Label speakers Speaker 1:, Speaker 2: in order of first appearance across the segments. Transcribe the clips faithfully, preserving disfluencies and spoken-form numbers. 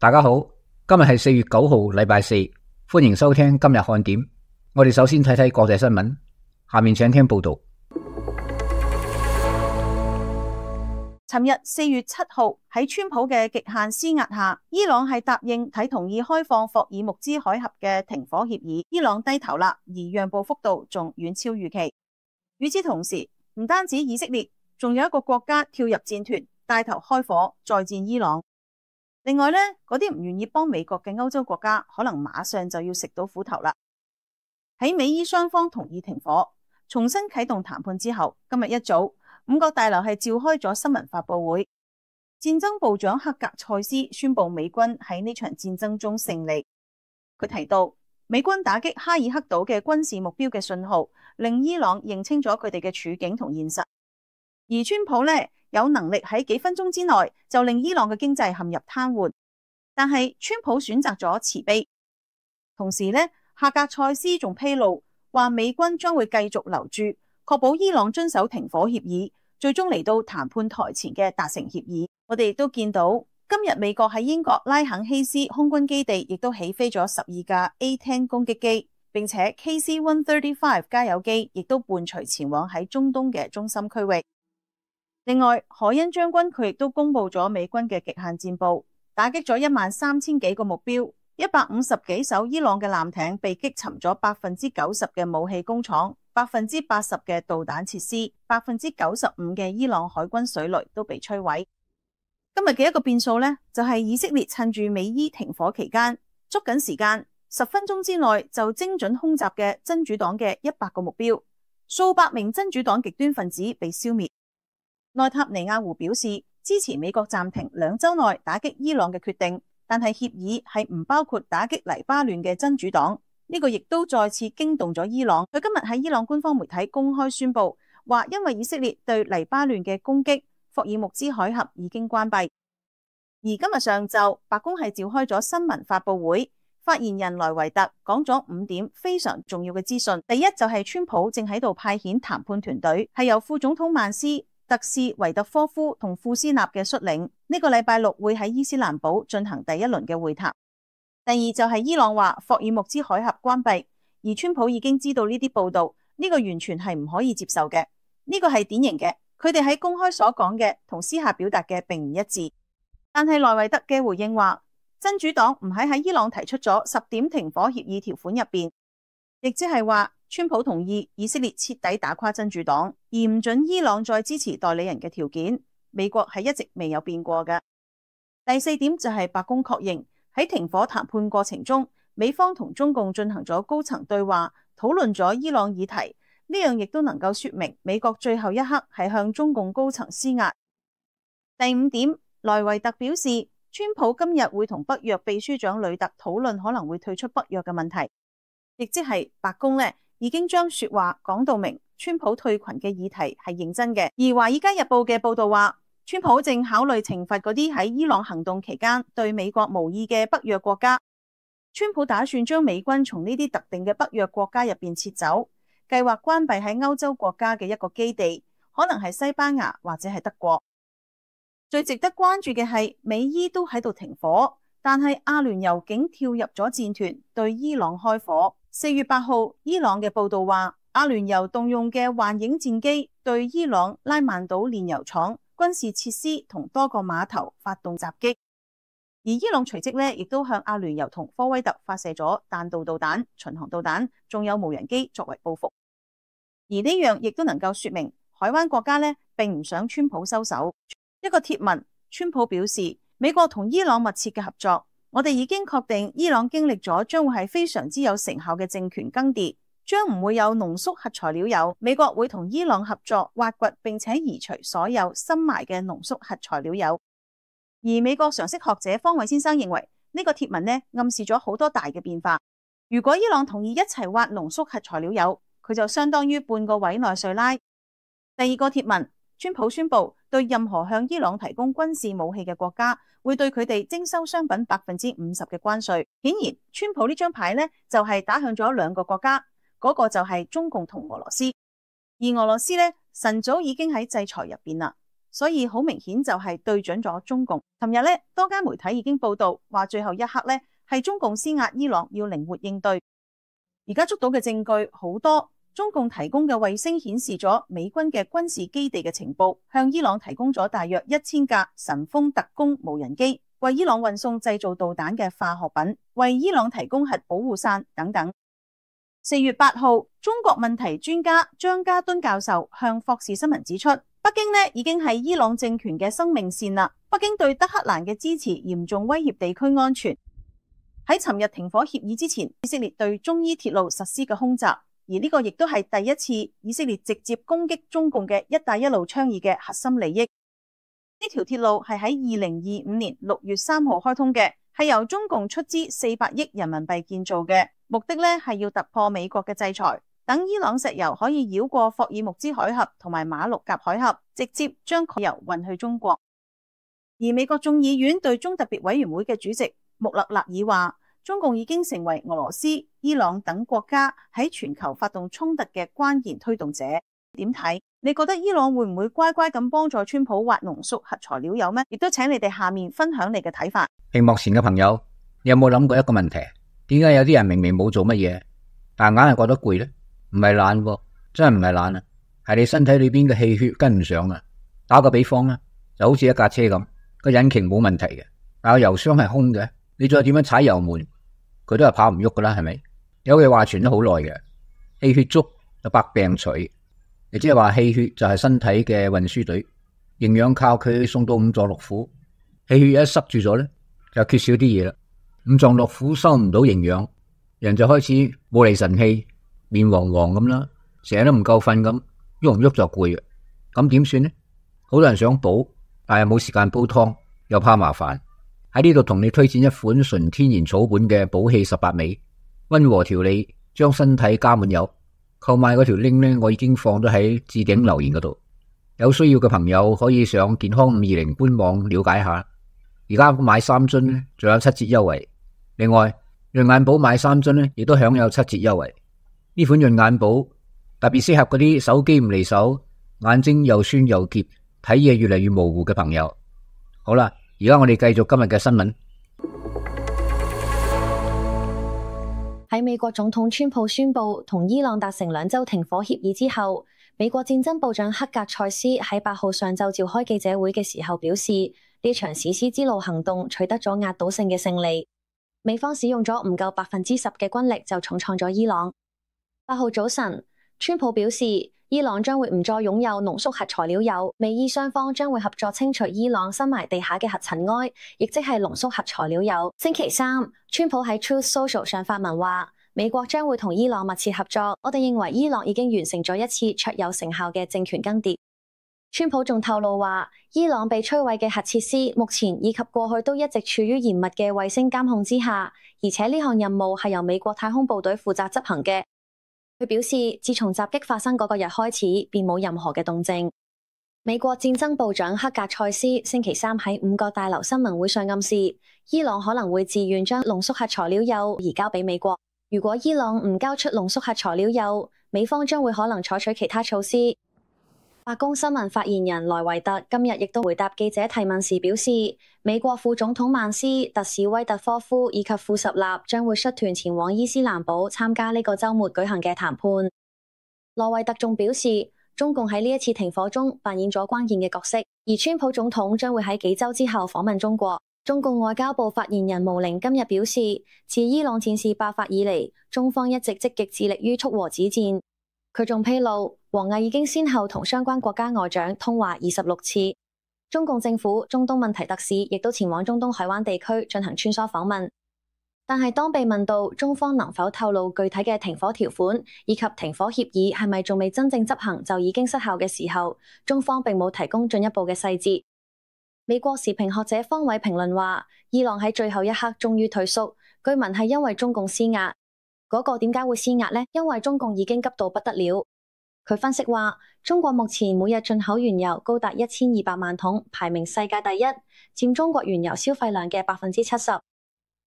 Speaker 1: 大家好，今日係四月九號，禮拜四，歡迎收聽今日看點。我哋首先睇睇國際新聞，下面請聽報道。
Speaker 2: 尋日四月七號喺川普嘅極限施壓下，伊朗係答應睇同意開放霍爾木茲海峽嘅停火協議。伊朗低頭啦，而讓步幅度仲遠超預期。與此同時，唔單止以色列，仲有一個國家跳入戰團，帶頭開火再戰伊朗。另外呢，嗰啲唔願意幫美國嘅歐洲國家，可能馬上就要食到苦頭啦。喺美伊雙方同意停火、重新啟動談判之後，今日一早，五角大樓係召開咗新聞發佈會。戰爭部長克格塞斯宣布美軍喺呢場戰爭中勝利。佢提到，美軍打擊哈爾克島嘅軍事目標嘅信號，令伊朗認清咗佢哋嘅處境同現實。而川普呢，有能力喺幾分鐘之內就令伊朗嘅經濟陷入癱瘓，但係川普選擇咗慈悲。同時呢，克格塞斯仲披露話，美軍將會繼續留駐，確保伊朗遵守停火協議，最終嚟到談判台前嘅達成協議。我哋亦都見到今日美國喺英國拉肯希斯空軍基地亦都起飛咗十二架 A 十 攻擊機，並且 K C 一三五加油機亦都伴隨前往喺中東嘅中心區域。另外，海恩將軍佢亦都公布咗美軍嘅極限戰報，打擊咗一萬三千幾個目標，一百五十幾艘伊朗嘅艦艇被擊沉咗，百分之九十嘅武器工廠，百分之八十嘅導彈設施，百分之九十五嘅伊朗海軍水雷都被摧毀。今日嘅一個變數呢，就係以色列趁住美伊停火期間，捉緊時間，十分鐘之內就精準空襲嘅真主黨嘅一百個目標，數百名真主黨極端分子被消滅。內塔尼亞胡表示支持美國暫停兩週內打擊伊朗嘅決定，但係協議係唔包括打擊黎巴嫩嘅真主黨。呢個亦都再次驚動咗伊朗。佢今日喺伊朗官方媒體公開宣布，話因為以色列對黎巴嫩嘅攻擊，霍爾木茲海峽已經關閉。而今日上晝，白宮係召開咗新聞發佈會，發言人萊維特講咗五點非常重要嘅資訊。第一就係川普正喺度派遣談判團隊，係由副總統曼斯、特使維特科夫同庫斯納嘅率領，呢個禮拜六會喺伊斯蘭堡進行第一輪嘅會談。第二就係伊朗話霍爾木茲海峽關閉，而川普已經知道呢啲報道，呢個完全係唔可以接受嘅。呢個係典型嘅，佢哋喺公開所講嘅同私下表達嘅並唔一致。但係萊維特嘅回應話，真主黨唔喺喺伊朗提出咗十點停火協議條款入邊，亦即係話川普同意以色列徹底打垮真主黨，而唔准伊朗再支持代理人嘅條件，美國係一直未有變過嘅。第四點就係白宮確認喺停火談判過程中，美方同中共進行咗高層對話，討論咗伊朗議題，呢樣亦都能夠說明美國最後一刻係向中共高層施壓。第五點，萊維特表示，川普今日會同北約秘書長呂特討論可能會退出北約嘅問題，亦即係白宮呢已經將說話講到明，川普退群嘅議題係認真嘅。而華爾街日報嘅報道話，川普正考慮懲罰嗰啲喺伊朗行動期間對美國無意嘅北約國家。川普打算將美軍從呢啲特定嘅北約國家入邊撤走，計劃關閉喺歐洲國家嘅一個基地，可能係西班牙或者係德國。最值得關注嘅係美伊都喺度停火，但係阿聯酋竟跳入咗戰團對伊朗開火。四月八號，伊朗嘅報道話，阿聯酋動用嘅幻影戰機對伊朗拉曼島煉油廠、軍事設施同多個碼頭發動襲擊，而伊朗隨即呢亦都向阿聯酋同科威特發射咗彈道導彈、巡航導彈，仲有無人機作為報復。而呢樣亦都能夠說明海灣國家呢並唔想川普收手。一個貼文，川普表示，美國同伊朗密切嘅合作，我哋已經確定伊朗經歷咗將會係非常之有成效嘅政權更迭，將唔會有濃縮核材料油。美國會同伊朗合作挖掘並且移除所有深埋嘅濃縮核材料油。而美國常識學者方偉先生認為，呢個貼文呢暗示咗好多大嘅變化。如果伊朗同意一齊挖濃縮核材料油，佢就相當於半個委內瑞拉。第二個貼文，川普宣布對任何向伊朗提供軍事武器嘅國家，會對佢哋徵收商品百分之五十嘅關稅。顯然，川普呢張牌呢，就係打向咗兩個國家，嗰個就係中共同俄羅斯。而俄羅斯呢，晨早已經喺制裁入邊啦。所以好明顯就係對準咗中共。尋日咧，多間媒體已經報道話，最後一刻咧係中共施壓伊朗要靈活應對。而家捉到嘅證據好多，中共提供嘅衛星顯示咗美軍嘅軍事基地嘅情報，向伊朗提供咗大約一千架神風特攻無人機，為伊朗運送製造導彈嘅化學品，為伊朗提供核保護傘等等。四月八號，中國問題專家張家敦教授向霍士新聞指出，北京呢已經係伊朗政權嘅生命線啦。北京對德黑蘭嘅支持嚴重威脅地區安全。喺尋日停火協議之前，以色列對中伊鐵路實施嘅空襲，而呢個亦都係第一次以色列直接攻擊中共嘅一帶一路倡議嘅核心利益。呢條鐵路係喺二零二五年六月三號開通嘅，係由中共出資四百億人民幣建造嘅，目的呢係要突破美國嘅制裁，等伊朗石油可以繞過霍爾木茲海峽同埋馬六甲海峽，直接將石油運去中國。而美國眾議院對中特別委員會嘅主席穆勒勒爾話，中共已經成為俄羅斯、伊朗等國家喺全球發動衝突嘅關鍵推動者。點睇？你覺得伊朗會唔會乖乖咁幫助川普挖濃縮核材料油咩？亦都請你哋下面分享你嘅睇法。
Speaker 1: 屏幕前嘅朋友，你有冇諗過一個問題？點解有啲人明明冇做乜嘢，但係硬係覺得攰呢？唔係懶喎，真係唔係懶啊，係你身體裏邊嘅氣血跟唔上啊。打個比方啦，就好似一架車咁，個引擎冇問題嘅，但係油箱係空嘅，你再點樣踩油門，佢都係跑唔喐噶啦，係咪？有句話傳咗好耐嘅，氣血足就百病除。亦即係話氣血就係身體嘅運輸隊，營養靠佢送到五臟六腑。氣血一塞住咗咧，就缺少啲嘢啦。五臟六腑收唔到營養，人就開始冇厘神氣，面黃黃咁啦，成日都唔夠瞓咁，喐唔喐就攰嘅。咁點算呢？好多人想補，但係冇時間煲湯，又怕麻煩。喺呢度同你推薦一款純天然草本嘅補氣十八味，溫和調理，將身體加滿油。購買嗰條 link 呢，我已經放咗喺置頂留言嗰度，有需要嘅朋友可以上健康五二零官網了解下。而家買三樽呢，仲有七折優惠。另外，潤眼寶買三樽呢，亦都享有七折優惠。呢款潤眼寶特別適合嗰啲手機唔離手、眼睛又酸又澀、睇嘢越嚟越模糊嘅朋友。好啦，而家我哋繼續今日嘅新聞。
Speaker 3: 喺美國總統川普宣布同伊朗達成兩週停火協議之後，美國戰爭部長克格塞斯喺八號上晝召開記者會嘅時候表示，呢場史詩之路行動取得咗壓倒性嘅勝利。美方使用咗唔夠百分之十嘅軍力就重創咗伊朗。八號早晨，川普表示，伊朗將會唔再擁有濃縮核材料鈾，美伊雙方將會合作清除伊朗深埋地下嘅核塵埃，亦即係濃縮核材料鈾。星期三，川普喺 Truth Social 上發文話，美國將會同伊朗密切合作。我哋認為伊朗已經完成咗一次卓有成效嘅政權更迭。川普仲透露話，伊朗被摧毀嘅核設施目前以及過去都一直處於嚴密嘅衛星監控之下，而且呢項任務係由美國太空部隊負責執行嘅。佢表示，自從襲擊發生嗰個日開始，便冇任何嘅動靜。美國戰爭部長克格塞斯星期三喺五角大樓新聞會上暗示，伊朗可能會自願將濃縮核材料鈾移交俾美國。如果伊朗唔交出濃縮核材料鈾，美方將會可能採取其他措施。白宮新聞發言人萊維特今日亦都回答記者提問時表示，美國副總統曼斯、特使威特科夫以及庫什納將會率團前往伊斯蘭堡參加呢個週末舉行嘅談判。萊維特仲表示，中共喺呢一次停火中扮演咗關鍵嘅角色，而川普總統將會喺幾週之後訪問中國。中共外交部發言人毛寧今日表示，自伊朗戰事爆發以嚟，中方一直積極致力於促和止戰。佢仲披露，王毅已經先後同相關國家外長通話二十六次。中共政府中東問題特使亦都前往中東海灣地區進行穿梭訪問。但係當被問到中方能否透露具體嘅停火條款，以及停火協議係咪仲未真正執行就已經失效嘅時候，中方並冇提供進一步嘅細節。美國時評學者方偉評論話，伊朗喺最後一刻終於退縮，據聞係因為中共施壓。嗰個點解會施壓呢？因為中共已經急到不得了。佢分析話，中國目前每日進口原油高達一千二百萬桶，排名世界第一，佔中國原油消費量嘅百分之七十。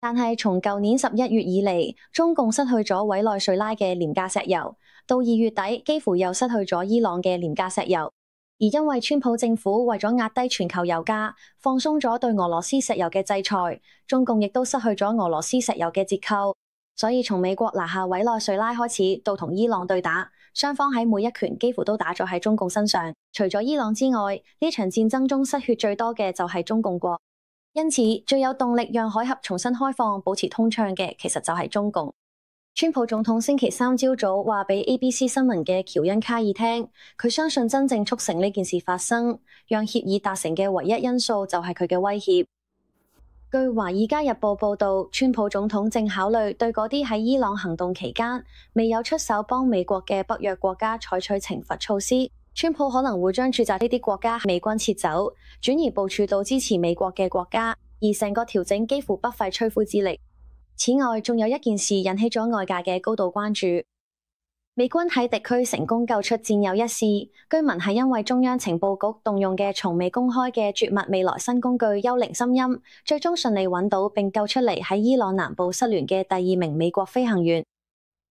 Speaker 3: 但係從舊年十一月以嚟，中共失去咗委內瑞拉嘅廉價石油，到二月底幾乎又失去咗伊朗嘅廉價石油。而因為川普政府為咗壓低全球油價，放鬆咗對俄羅斯石油嘅制裁，中共亦都失去咗俄羅斯石油嘅折扣，所以從美國拿下委內瑞拉開始，到同伊朗對打，雙方喺每一拳幾乎都打咗喺中共身上。除咗伊朗之外，呢場戰爭中失血最多嘅就係中共國，因此最有動力讓海峽重新開放、保持通暢嘅，其實就係中共。川普總統星期三朝早話俾 A B C 新聞嘅喬恩卡爾聽，佢相信真正促成呢件事發生，讓協議達成嘅唯一因素就係佢嘅威脅。據《華爾街日報》報道，川普總統正考慮對嗰啲喺伊朗行動期間未有出手幫美國嘅北約國家採取懲罰措施。川普可能會將駐紮呢啲國家美軍撤走，轉移部署到支持美國嘅國家，而成個調整幾乎不費吹灰之力。此外，仲有一件事引起咗外界嘅高度關注。美軍喺敵區成功救出戰友一事，據聞係因為中央情報局動用嘅從未公開嘅絕密未來新工具幽靈心音，最終順利揾到並救出嚟喺伊朗南部失聯嘅第二名美國飛行員。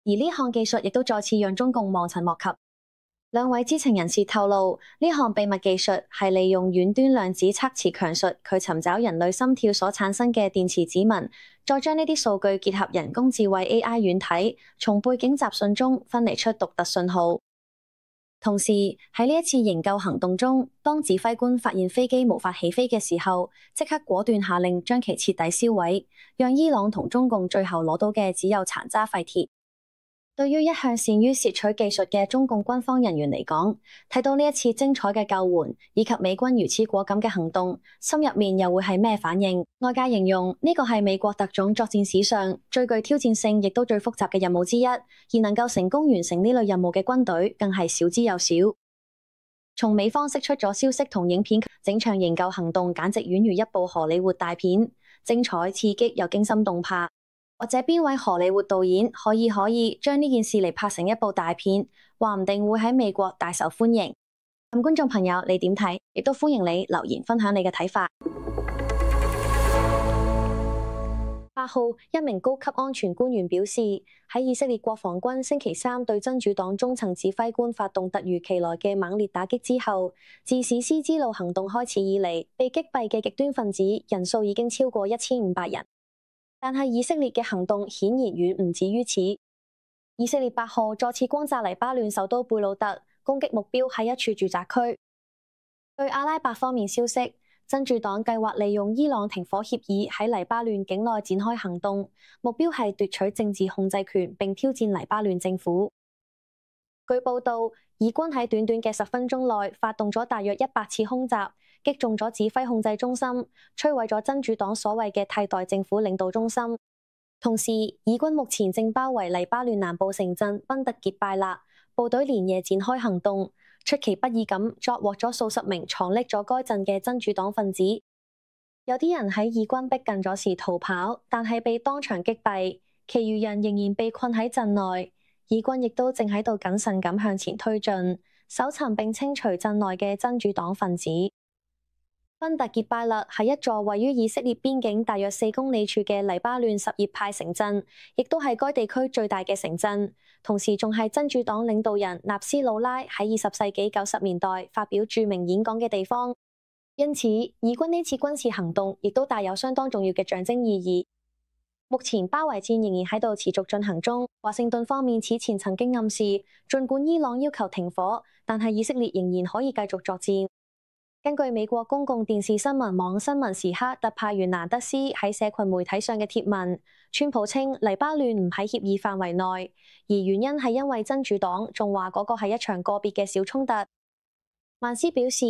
Speaker 3: 而呢項技術亦都再次讓中共望塵莫及。兩位知情人士透露，呢項秘密技術係利用遠端量子測詞強術，佢尋找人類心跳所產生嘅電磁指紋，再將呢啲數據結合人工智慧 A I 軟體，從背景雜訊中分離出獨特信號。同時喺呢一次營救行動中，當指揮官發現飛機無法起飛嘅時候，即刻果斷下令將其徹底銷毀，讓伊朗同中共最後攞到嘅只有殘渣廢鐵。對於一向善於竊取技術嘅中共軍方人員嚟講，睇到呢一次精彩嘅救援，以及美軍如此果敢嘅行動，心入面又會係咩反應？外界形容呢個係美國特種作戰史上最具挑戰性，亦都最複雜嘅任務之一，而能夠成功完成呢類任務嘅軍隊，更係少之又少。從美方釋出咗消息同影片，整場營救行動簡直宛如一部荷里活大片，精彩刺激又驚心動魄。或者邊位荷里活導演可以可以將呢件事嚟拍成一部大片，話唔定會喺美國大受歡迎。咁觀眾朋友你點睇？亦都歡迎你留言分享你嘅睇法。八號，一名高級安全官員表示，喺以色列國防軍星期三對真主黨中層指揮官發動突如其來嘅猛烈打擊之後，自史詩之路行動開始以嚟，被擊斃嘅極端分子人數已經超過一千五百人。但係以色列嘅行動顯然遠唔止於此。以色列八號再次轟炸黎巴嫩首都貝魯特，攻擊目標係一處住宅區。據阿拉伯方面消息，真主黨計劃利用伊朗停火協議喺黎巴嫩境內展開行動，目標係奪取政治控制權並挑戰黎巴嫩政府。據報道，以軍喺短短嘅十分鐘內發動咗大約一百次空襲，擊中咗指揮控制中心，摧毀咗真主黨所謂嘅替代政府領導中心。同時，以軍目前正包圍黎巴嫩南部城鎮賓特傑拜勒，部隊連夜展開行動，出其不意咁抓獲咗數十名藏匿咗該鎮嘅真主黨分子。有啲人喺以軍逼近咗時逃跑，但係被當場擊斃，其餘人仍然被困喺鎮內。以軍亦都正喺度謹慎咁向前推進，搜尋並清除鎮內嘅真主黨分子。賓特傑拜勒係一座位於以色列邊境大約四公里處嘅黎巴嫩什葉派城鎮，亦都係該地區最大嘅城鎮，同時仲係真主黨領導人納斯魯拉喺二十世紀九十年代發表著名演講嘅地方。因此，以軍呢次軍事行動亦都帶有相當重要嘅象徵意義。目前包圍戰仍然喺度持續進行中。華盛頓方面此前曾經暗示，儘管伊朗要求停火，但係以色列仍然可以繼續作戰。根據美國公共電視新聞網新聞時刻特派員蘭德斯喺社群媒體上嘅貼文，川普稱黎巴嫩唔喺協議範圍內，而原因係因為真主黨仲話嗰個係一場個別嘅小衝突。曼斯表示，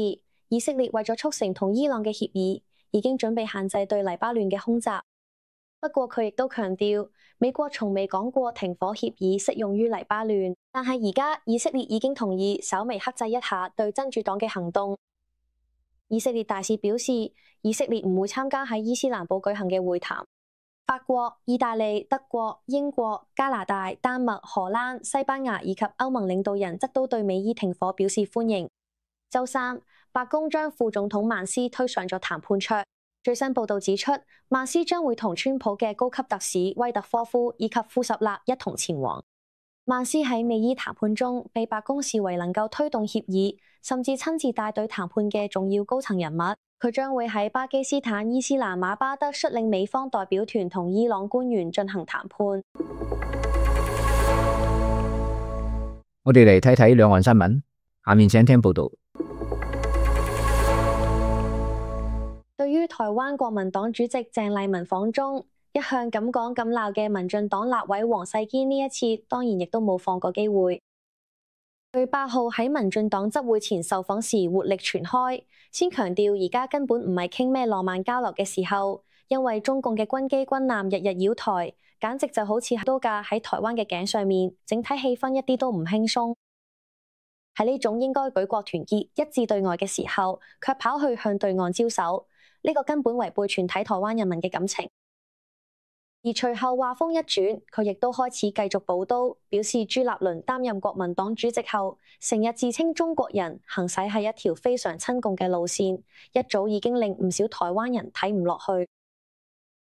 Speaker 3: 以色列為咗促成同伊朗嘅協議，已經準備限制對黎巴嫩嘅空襲。不過佢亦都強調，美國從未講過停火協議適用於黎巴嫩，但係而家以色列已經同意稍微克制一下對真主黨嘅行動。以色列大使表示，以色列唔會參加喺伊斯蘭堡舉行嘅會談。法國、意大利、德國、英國、加拿大、丹麥、荷蘭、西班牙以及歐盟領導人則都對美伊停火表示歡迎。週三，白宮將副總統曼斯推上咗談判桌。最新報道指出，曼斯將會同川普嘅高級特使威特科夫以及庫什納一同前往。曼斯喺美伊談判中被白宮視為能夠推動協議，甚至親自帶隊談判嘅重要高層人物。佢將會喺巴基斯坦伊斯蘭馬巴德率領美方代表團同伊朗官員進行談判。
Speaker 1: 我哋嚟睇睇兩岸新聞，下面請聽報道。
Speaker 3: 對於台灣國民黨主席鄭麗文訪中，一向咁講咁鬧嘅民進黨立委黃世堅呢一次當然亦都冇放過機會。佢八號喺民進黨執會前受訪時活力全開，先強調而家根本唔係傾咩浪漫交流嘅時候，因為中共嘅軍機軍艦日日繞台，簡直就好似刀架喺台灣嘅頸上面，整體氣氛一啲都唔輕鬆。喺呢種應該舉國團結一致對外嘅時候，卻跑去向對岸招手，呢個根本違背全體台灣人民嘅感情。而隨後話風一轉，佢亦都開始繼續補刀，表示朱立倫擔任國民黨主席後，成日自稱中國人，行使係一條非常親共嘅路線，一早已經令唔少台灣人睇唔落去。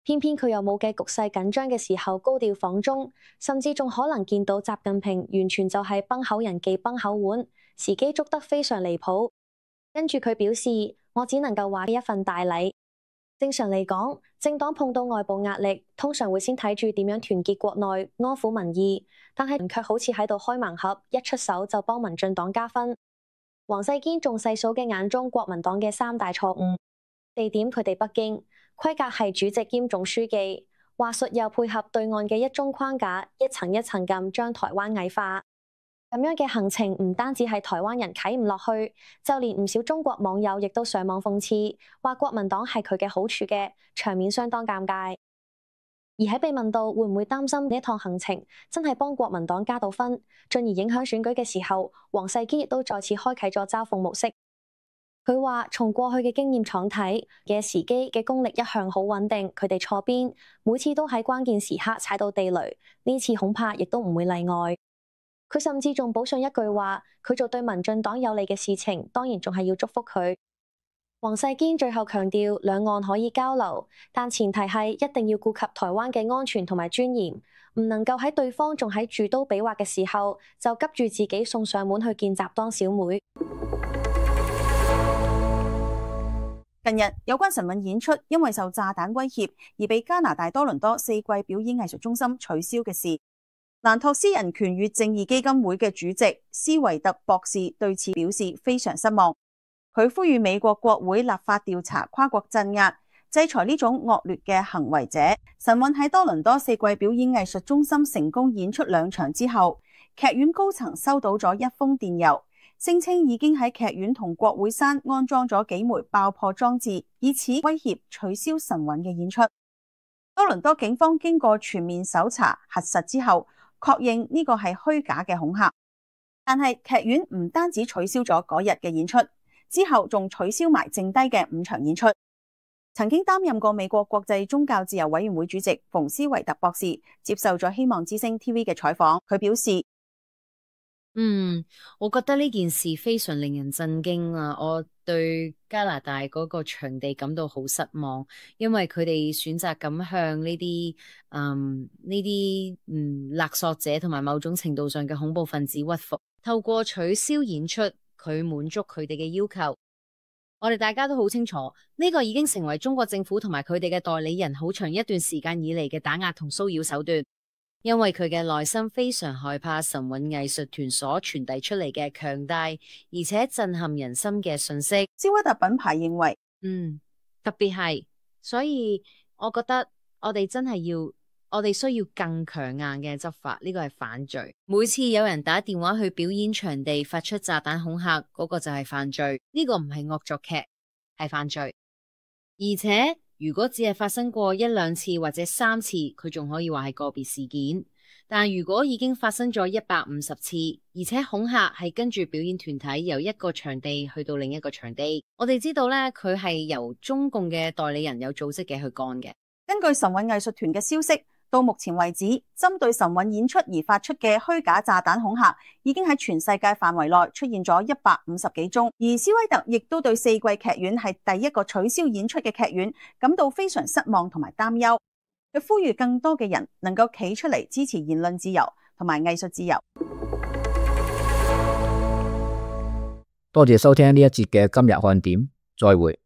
Speaker 3: 偏偏佢又冇嘅局勢緊張嘅時候高調訪中，甚至仲可能見到習近平，完全就係崩口人忌崩口碗，時機捉得非常離譜。跟住佢表示，我只能夠話一份大禮。正常嚟講，政黨碰到外部壓力，通常會先睇住點樣團結國內、安撫民意，但係卻好似喺度開盲盒，一出手就幫民進黨加分。黃世堅仲細數嘅眼中國民黨嘅三大錯誤：地點佢哋北京，規格係主席兼總書記，話術又配合對岸嘅一中框架，一層一層咁將台灣矮化。咁樣嘅行程唔單止係台灣人睇唔落去，就連唔少中國網友亦都上網諷刺，話國民黨係佢嘅好處嘅，場面相當尷尬。而喺被問到會唔會擔心呢一趟行程真係幫國民黨加到分，進而影響選舉嘅時候，黃世堅亦都再次開啟咗嘲諷模式。佢話從過去嘅經驗廠睇嘅時機嘅功力一向好穩定，佢哋錯邊，每次都喺關鍵時刻踩到地雷，呢次恐怕亦都唔會例外。佢甚至仲補上一句話，佢做對民進黨有利嘅事情，當然仲係要祝福佢。黃世堅最後強調，兩岸可以交流，但前提係一定要顧及台灣嘅安全同埋尊嚴，唔能夠喺對方仲喺住刀比劃嘅時候，就急住自己送上門去見習當小妹。
Speaker 2: 近日有關晨運演出因為受炸彈威脅而被加拿大多倫多四季表演藝術中心取消嘅事，蘭托斯人權與正義基金會嘅主席斯維特博士對此表示非常失望。佢呼籲美國國會立法調查跨國鎮壓、制裁呢種惡劣嘅行為者。晨運喺多倫多四季表演藝術中心成功演出兩場之後，劇院高層收到咗一封電郵，聲稱已經喺劇院同國會山安裝咗幾枚爆破裝置，以此威脅取消晨運嘅演出。多倫多警方經過全面搜查核實之後，確認呢個係虛假嘅恐嚇。但係劇院唔單止取消咗嗰日嘅演出，之後仲取消埋剩低嘅五場演出。曾經擔任過美國國際宗教自由委員會主席馮斯維特博士接受咗希望之聲 T V 嘅採訪，佢表示：
Speaker 4: 嗯，我覺得呢件事非常令人震驚啊！我對加拿大嗰個場地感到好失望，因為佢哋選擇咁向呢啲嗯呢啲嗯勒索者同埋某種程度上嘅恐怖分子屈服，透過取消演出，佢滿足佢哋嘅要求。我哋大家都好清楚，呢個已經成為中國政府同埋佢哋嘅代理人好長一段時間以嚟嘅打壓同騷擾手段。因為佢嘅內心非常害怕晨運藝術團所傳遞出嚟嘅強大而且震撼人心嘅信息。
Speaker 2: 斯威特品牌認為，
Speaker 4: 嗯，特別係，所以我覺得我哋真係要，我哋需要更強硬嘅執法，呢個係犯罪。每次有人打電話去表演場地發出炸彈恐嚇，嗰個就係犯罪。呢個唔係惡作劇，係犯罪。而且如果只係發生過一兩次或者三次，佢仲可以話係個別事件。但如果已經發生咗一百五十次，而且恐嚇係跟住表演團體由一個場地去到另一個場地，我哋知道咧，佢係由中共嘅代理人有組織嘅去幹嘅。
Speaker 2: 根據晨運藝術團嘅消息，到目前為止，針對晨運演出而發出嘅虛假炸彈恐嚇，已經喺全世界範圍內出現咗一百五十幾宗。而斯威特亦都對四季劇院係第一個取消演出嘅劇院感到非常失望同埋擔憂。佢呼籲更多嘅人能夠企出嚟支持言論自由同同埋藝術自由。
Speaker 1: 多謝收聽呢一節嘅今日看點，再會。